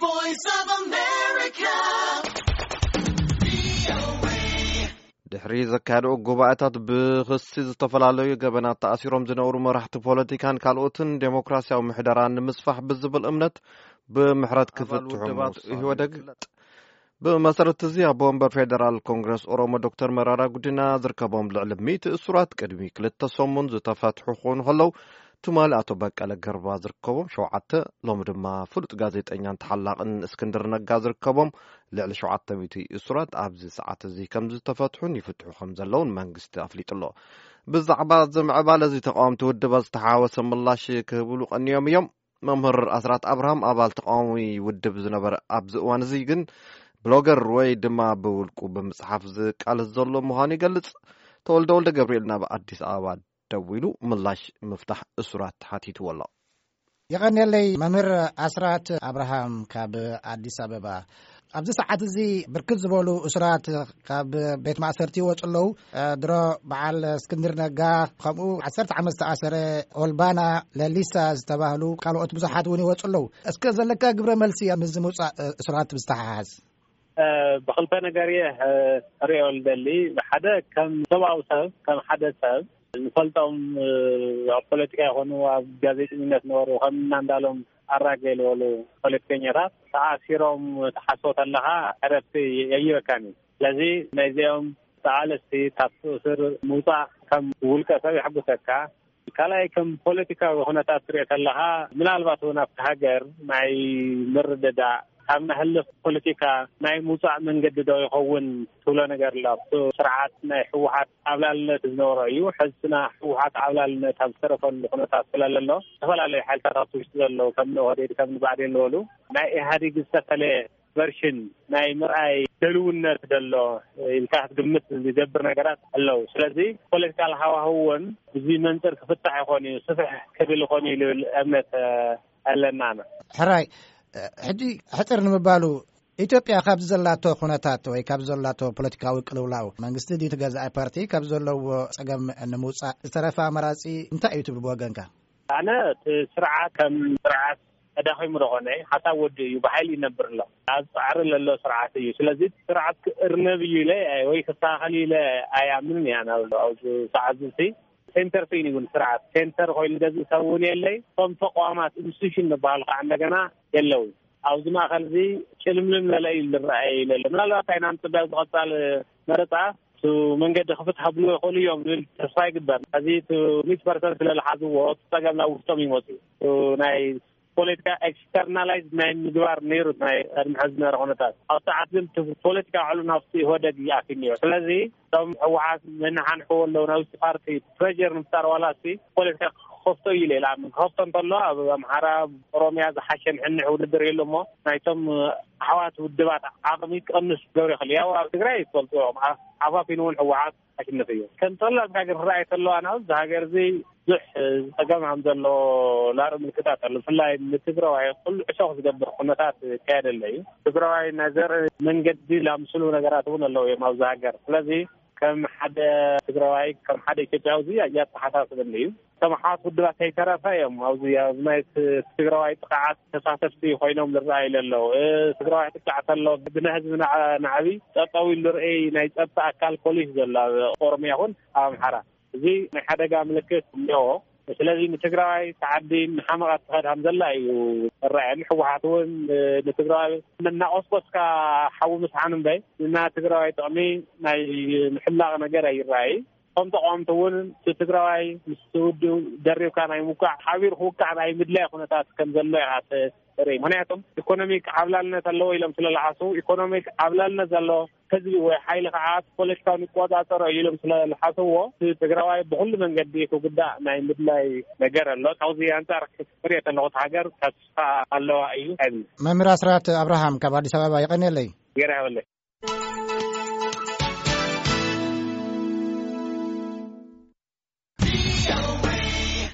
Voice of America. ድሕሪ ዘካየደኡ ጉባኤታት ብኽሲ ዝተፈላለዩ ገበናት ተኣሲሮም ዝነበሩ መራሕቲ ፖለቲካን ካልኦትን ዴሞክራሲያዊ ምሕደራ ንምስፋሕ ብዝብል እምነት ብምሕረት ክፍትሑ ምውሳኑ ኢህወደግ ይፍለጥ። ብመሰረት እዚ ኣቦ ወንበር ፌደራል ኮንግረስ ኦሮሞ ዶክተር መራራ ጉዲና ዝርከቦም ልዕሊ ሚእቲ እሱራት ቅድሚ ክልተ ሰሙን ዝተፈትሑ ክኾኑ ከለዉ፣ ትማሊ ኣቶ በቀለ ገርባ ዝርከቦም ሸውዓተ፣ ሎሚ ድማ ፍሉጥ ጋዜጠኛን ተሓላቕን እስክንድር ነጋ ዝርከቦም ልዕሊ ሸውዓተ ሚእቲ እሱራት ኣብዚ ሰዓት እዚ ከም ዝተፈትሑን ይፍትሑ ከም ዘለውን መንግስቲ ኣፍሊጡ ኣሎ። ብዛዕባ እዚ ምዕባለ እዚ ተቃወምቲ ውድባት ዝተሓዋወሰ ምላሽ ክህብሉ ቀንዮም እዮም። መምህር ኣስራት ኣብርሃም ኣባል ተቃዋሚ ውድብ ዝነበረ ኣብዚ እዋን እዚ ግን ብሎገር ወይ ድማ ብውልቁ ብምጽሓፍ ዝቃለስ ዘሎ ምዃኑ ይገልጽ። ተወልደ ወልደ ገብርኤል ናብ ኣዲስ ኣበባ ደዊሉ ምላሽ ምፍታሕ እሱራት ሓቲትዎ ኣሎ። የቐንየለይ መምህር ኣስራት ኣብርሃም ካብ ኣዲስ ኣበባ። ኣብዚ ሰዓት እዚ ብርክት ዝበሉ እሱራት ካብ ቤት ማእሰርቲ ይወፁ ኣለዉ። እ፣ ድሮ በዓል እስክንድር ነጋ፣ ከምኡ ዓሰርተ ዓመት ዝተኣሰረ ኦልባና ለሊሳ ዝተባህሉ ካልኦት ብዙሓት እውን ይወፁ ኣለዉ። እስከ ዘለካ ግብረ መልሲ ምስዚ ምውፃእ፣ እ፣ እሱራት ብዝተሓሓዝ። እ፣ ብኽልተ ነገር እየ፣ እ፣ ክሪኦ ዝደሊ። ሓደ ከም ሰብኣዊ ሰብ፣ ከም ሓደ ሰብ ንፈልጦም፣ እ፣ ኣብ ፖለቲካ ይኾኑ ኣብ ጋዜጠኝነት ነበሩ፣ ከም እና እንዳሎም ኣራጌ ዝበሉ ፖለቲከኛታት ተኣሲሮም ትሓስቦ ተለኻ ዕረፍቲ የይበካን እዩ። ስለዚ ናይዚኦም ተቓለስቲ ካብቲ እስር ምውፃእ ከም ውልቀ ሰብ የሐጉሰካ። ካልኣይ ከም ፖለቲካዊ ኩነታት ትሪኦ ተለኻ ምናልባት እውን ኣብቲ ሃገር ናይ ምርድዳእ ካብ ነህልፍ ፖለቲካ ናይ ምውፃእ መንገዲ ዶ ይኸውን ትብሎ ነገር ኣሎ። ኣብቲ ስርዓት ናይ ህወሓት ዓብላልነት ዝነበሮ እዩ። ሕዝና ህወሓት ዓብላልነት ኣብ ዝተረፈሉ ኩነታት ስለለሎ ዝተፈላለዩ ሓይልታት ኣብቲ ውሽጢ ዘለዉ ከም ኦህዴድ ከም ብኣዴን ዝበሉ ናይ ኢህኣዴግ ዝተፈለየ ቨርሽን ናይ ምርኣይ ደልውነት ደሎ ኢልካ ክትግምት ዝገብር ነገራት ኣለዉ። ስለዚ ፖለቲካል ሃዋህው እውን ብዚ መንፅር ክፍታሕ ይኾን እዩ፣ ስፍሕ ክብል ይኾን እዩ ልብል እምነት ኣለና። ሕራይ፣ ሕጂ ሕፅር ንምባሉ ኢትዮጵያ ካብ ዘላቶ ኩነታት ወይ ካብ ዘላቶ ፖለቲካዊ ቅልውላው መንግስቲ ድዩ ትገዛኢ ፓርቲ ካብ ዘለዎ ፀገም ንምውፃእ ዝተረፈ ኣማራፂ እንታይ እዩ ትብል ብወገንካ? ኣነ እቲ ስርዓት ከም ስርዓት ተዳኺሙ ዶ ኾነ ሓሳብ ወዲ እዩ፣ ብሓይሊ ይነብር ኣሎ። ኣብ ፃዕሪ ለሎ ስርዓት እዩ። ስለዚ እቲ ስርዓት ክእርነብ እዩ ኢለ ወይ ክስተኻኸል እዩ ኢለ ኣይኣምንን እያ። ናብ ኣብዚ ሰዓት እዚ ሴንተር ኮይኑ እውን ስርዓት ሴንተር ኮይኑ ገዝእ ሰብ እውን የለይ። እቶም ተቋማት ኢንስቲቱሽን ዝበሃሉ ከዓ እንደገና የለውን። ኣብዚ ማእኸል እዚ ጭልምልም ለለ እዩ ዝረኣየ ኢለ ኣሎ። ምናልባት ኣይናም ፅበያ ዝቐፃል መረፃ እቲ መንገዲ ክፍትሓ ብሎ ይኽእሉ እዮም ዝብል ተስፋ ይግበር። እዚ እቲ ሚእቲ ፐርሰንት ስለዝሓዝዎ እቲ ፀገም ናብ ውሽጦም ይመፁ። እቲ ናይ ፖለቲካ ኤክስተርናላይዝ ናይ ምግባር ነይሩ ናይ ቅድሚ ሕዚ ዝነበረ ኩነታት። ኣብ ሰዓት ግን እቲ ፖለቲካ ዕሉ ናብቲ ኢህወደግ ይኣትዩ ነይሩ። ስለዚ እቶም ህወሓት መናሓንሕዎ ኣለዉ ናብ ውሽጢ ፓርቲ ፕሬር ንምፍጣር ዋላ እስቲ ፖለቲካ ክኸፍቶ እዩ ኢለ ይኣምን። ክኸፍቶ እንተሎ ኣብ ኣምሓራ፣ ኦሮሚያ ዝሓሸ ንሕንሕ ውድድር የሎ እሞ ናይቶም ኣሕዋት ውድባት ዓቕሚ ክቐንስ ክገብር ይኽእል። ያው ኣብ ትግራይ ትፈልጥዎ እዮም። ዓ-፣ ዓፋፊኑ እውን ህወሓት ኣሽንፍ እዩ። ከም ጠላብ ሃገር ክረኣይ ተሎ ኣነ ኣብዚ ሃገር እዚ ብዙሕ፣ እ፣ ፀገም ከም ዘሎ ላርኢ ምልክታት ኣሎ። ብፍላይ ንትግራዋይ ኩሉ ዕሾኽ ዝገብር ኩነታት ይካየደለ እዩ። ትግራዋይ ናይ ዘርኢ መንገዲ ላምስሉ ነገራት እውን ኣለዉ እዮም ኣብዚ ሃገር። ስለዚ ከም ሓደ ትግራዋይ፣ ከም ሓደ ኢትዮጵያዊ እዚ ኣተሓሳስበኒ እዩ። እቶም ኣሕዋት ውድባት ከይተረፈ እዮም ኣብዚ፣ ኣብዚ ናይ ት-፣ ትግራዋይ ጥቕዓት ተሳተፍቲ ኮይኖም ዝረኣዩ ዘለዉ። እ፣ ትግራዋይ ጥቃዕ ተሎ ብናይ ህዝቢ ናዕ-፣ ናዕቢ ጠጠው ኢሉ ዝርኢ ናይ ጸጥታ ኣካል ፖሊስ ዘሎ ኣብ ኦሮሚያ ይኹን ኣብ ኣምሓራ። እዚ ናይ ሓደጋ ምልክት እኒኦ። ስለዚ ንትግራዋይ ተዓዲ ንሓመቓ ትኸድ ከም ዘላ እዩ ዝረኣየኒ። ህወሓት እውን፣ እ፣ ንትግራዋይ እናቆስቆስካ ሓዊ ምስሓን እምበይ፣ ንና ትግራዋይ ጥቕሚ ናይ ምሕላቕ ነገር ኣይረኣይ። ከም ተቃወምቲ እውን እቲ ትግራዋይ ምስ ውድብ ደሪብካ ናይ ምውቃዕ፣ ሓቢሩ ክውቃዕ ናይ ምድላይ ኩነታት ከም ዘሎ ኢኻ ት-፣ ትርኢ። ምኽንያቱም ኢኮኖሚክ ዓብላልነት ኣለዎ ኢሎም ስለ ዝሓስቡ፣ ኢኮኖሚክ ዓብላልነት ዘለዎ ህዝቢ ወይ ሓይሊ ከዓ ፖለቲካውን ይቆጻጸሮ እዩ ኢሎም ስለ ዝሓስብዎ፣ እቲ ትግራዋይ ብኩሉ መንገዲ ክጉዳእ ናይ ምድላይ ነገር ኣሎ። ካብዚ ኣንጻር ክሪኦ ከለኹ፣ እቲ ሃገር ተስፋ ኣለዋ እዩ። መምህር ኣስራት ኣብርሃም ካብ ኣዲስ ኣበባ፣ የቐንየለይ። ገይረ ይሃበለይ።